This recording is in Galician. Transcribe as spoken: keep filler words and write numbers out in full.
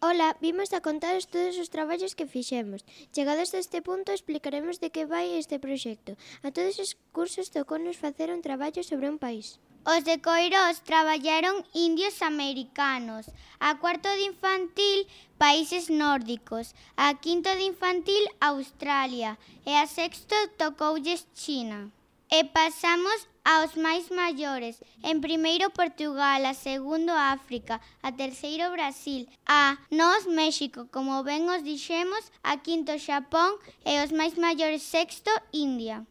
Ola, vimos a contaros todos os traballos que fixemos. Chegados a este punto, explicaremos de que vai este proxecto. A todos os cursos tocounos facer un traballo sobre un país. Os de Coirós traballaron indios americanos, a cuarto de infantil países nórdicos, a quinto de infantil Australia e a sexto tocoulles China. E pasamos aos máis maiores, en primeiro Portugal, a segundo África, a terceiro Brasil, a nós México, como ben os dixemos, a quinto Xapón e os máis maiores sexto India.